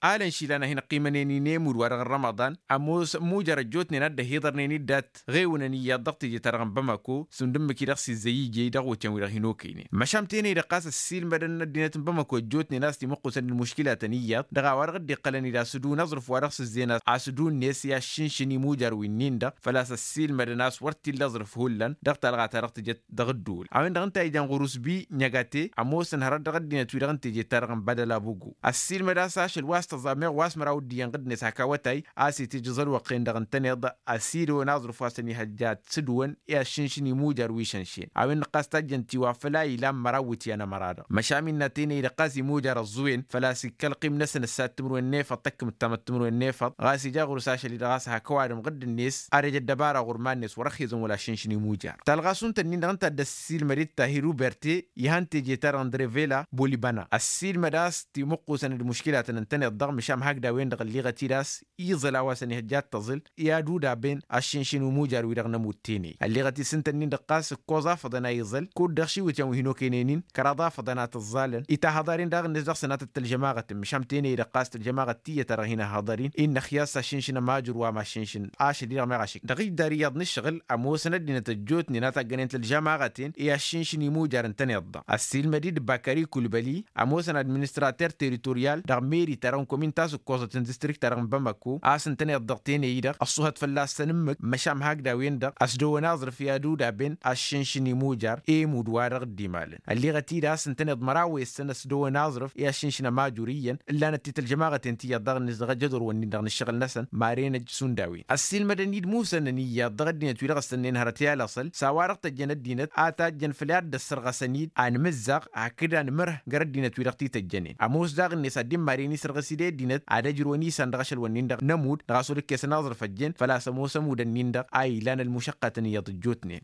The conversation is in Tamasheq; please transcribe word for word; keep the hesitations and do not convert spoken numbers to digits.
alăn išilan a hin-ăqqimănen i-nemud wa-dăɣ n-rămăḍan. Ămoos mujar ăjjootnen a dd-ăhiḍărnen-dd dat-ɣewǝnăn iyyăḍ dăɣ-teje-ta-dăɣ n-bamako s-undǝmmǝk-i-dăɣ s-izzăy ije-i dăɣ-wătyan-wi-dăɣ hin-okăynen. Măšan tenăy-dăɣ ɣas ăssiilmădăn ăddinăt n-bamako ăjjootnen a-s timǝqqusăn d-muškilatăn iyyăḍ dăɣ-a-wa-dăɣ dd-iqqălăn-dd asǝdun aẓrǝf wa dăɣ-s ǝzzeyăn asǝdun-net i-aššǝnšǝn imujăr wi-nin-dăɣ făl-a-s ăssiilmădăn a-s wăr t-illa aẓrǝf hullan dăɣ-talɣa-ta-dăɣ tǝjăt dăɣ-ǝddǝwǝl a-wen-dăɣ ǝnta a ijan ɣur-usbi. Ɲăgate ămoosăn hărăt dăɣ-ăddinăt-wi-dăɣ n-teje-ta-dăɣ n-badăl abugu ăssiilmăd a-s ašăl wa s-tăẓẓa meɣ wa s-măraw d-iyyăn ɣǝddǝnet hak awătay a-s itǝjj aẓălwăqqen-dăɣ ǝntăneḍ. Ăsidăwăn aẓrǝf wa s-ănihăjja ad-sǝdwăn i-aššǝnšǝn imujăr wi šănšen a-wen-dăɣ ɣas tajjăn tiwa făl-a ilan măraw wǝtyan ămăra-dăɣ măšan innă tenăy-dăɣ ɣas imujăr ăẓẓuwen făl-a-s ikka ălqim-năsăn ǝssa d-timǝrwen n-efăḍ tăkkǝm d-tamăt timǝrwen n-efăḍ ɣas ija ɣur-s ašăl-i-dăɣ a-s hak ăwadǝm ɣǝdd-net. Ad-ăj ăddăbara ɣur-iman-net wăr-ăxxizăn wăla aššǝnšǝn imujăr talɣa šund-tăn-in-dăɣ ǝnta a dd-ăssiilmăd-dd tahir uberte ihăn teje-ta-dăɣ n-drevela bolibăna ăssiilmăd a-s timǝqqusăn d-muškilatăn ǝntăneḍ-dăɣ măšan hakd a-wen-dăɣ ălliɣăt-dd a-s iẓăl a-wa s-ănihăjja ad-tăẓǝl i-ad-udabăn aššǝnšǝn imujăr-wi-dăɣ n-ămudd tenăy ălliɣăt-dd s-ǝntăn-in-dăɣ ɣas ǝkkoẓ afăḍăn a iẓăl kud-dăɣ šiwǝtyan wi hin-okăynen-in kăraḍ afăḍăn a tǝẓẓalăn itahăḍar-in daɣ-net dăɣ-sănatăt tălžămaɣăt măšan tenăy-dăɣ ɣas tălžămaɣăt tiyyăt-ta-dăɣ hin-ăhhăḍăr-in innăxya a-s aššǝnšǝn ămajur wa maššǝnšǝn ašăl-i-dăɣ meɣ ašǝk dăɣ-ijdar iyyăḍ n-ǝššăɣǝl ămoosăn ăddinăt ăjjootnen a taggănen tălžămaɣăten i-aššǝnšǝn imujăr ǝntăneḍ-dăɣ ăssiilmăd-dd bakari kulbăli ămoosăn administrater teritorial dăɣ-meri-ta-dăɣ n-komin ta s-ǝkkoẓăt n-distrikt-ta-dăɣ n-bamako a-s ǝntăneḍ-dăɣ tenăy-dăɣ ăṣṣuhăt fălla-săn ǝmmǝk măšan hakd a-wen-dăɣ ăsdăwăn aẓrǝf i-ad-udabăn aššǝnšǝn imujăr i-imud wa-dăɣ dd-imalăn ălliɣăt-dd a-s ǝntăneḍ măraw wessăn ăsdăwăn aẓrǝf i-aššǝnšǝn ămajur iyyăn ǝllanăt-t-i tălžămaɣăten tiyyăḍ daɣ-net dăɣ-ajădor-wǝnnin-dăɣ n-ǝššăɣǝl-năsăn maren ăj šund a-wen ăssiilmădăn-dd musănăn iyyăḍ dăɣ-ăddinăt wi dăɣ-ăssănnen hărăt i-alăṣăl s-a-wa-dăɣ tăjjăn ăddinăt a tajjăn făll-i ad-dd-ăssărɣăsăn-dd anmǝzzaɣ hakd anmǝrh gar ăddinăt wi dăɣ-t-ităjjănen ămoos daɣ-net ad-dd-immaren isărɣǝs-dd i-ăddinăt ad-ăjrǝwăn isan dăɣ-ašăl-wǝnnin-dăɣ n-ămudd dăɣ-a-s wăr-ǝkkesăn aẓrǝf ăjjeen făl-a-s ămoos ămudd-ǝnnin-dăɣ a ilan ălmušăqqatăn iyyăḍ ăjjootnen.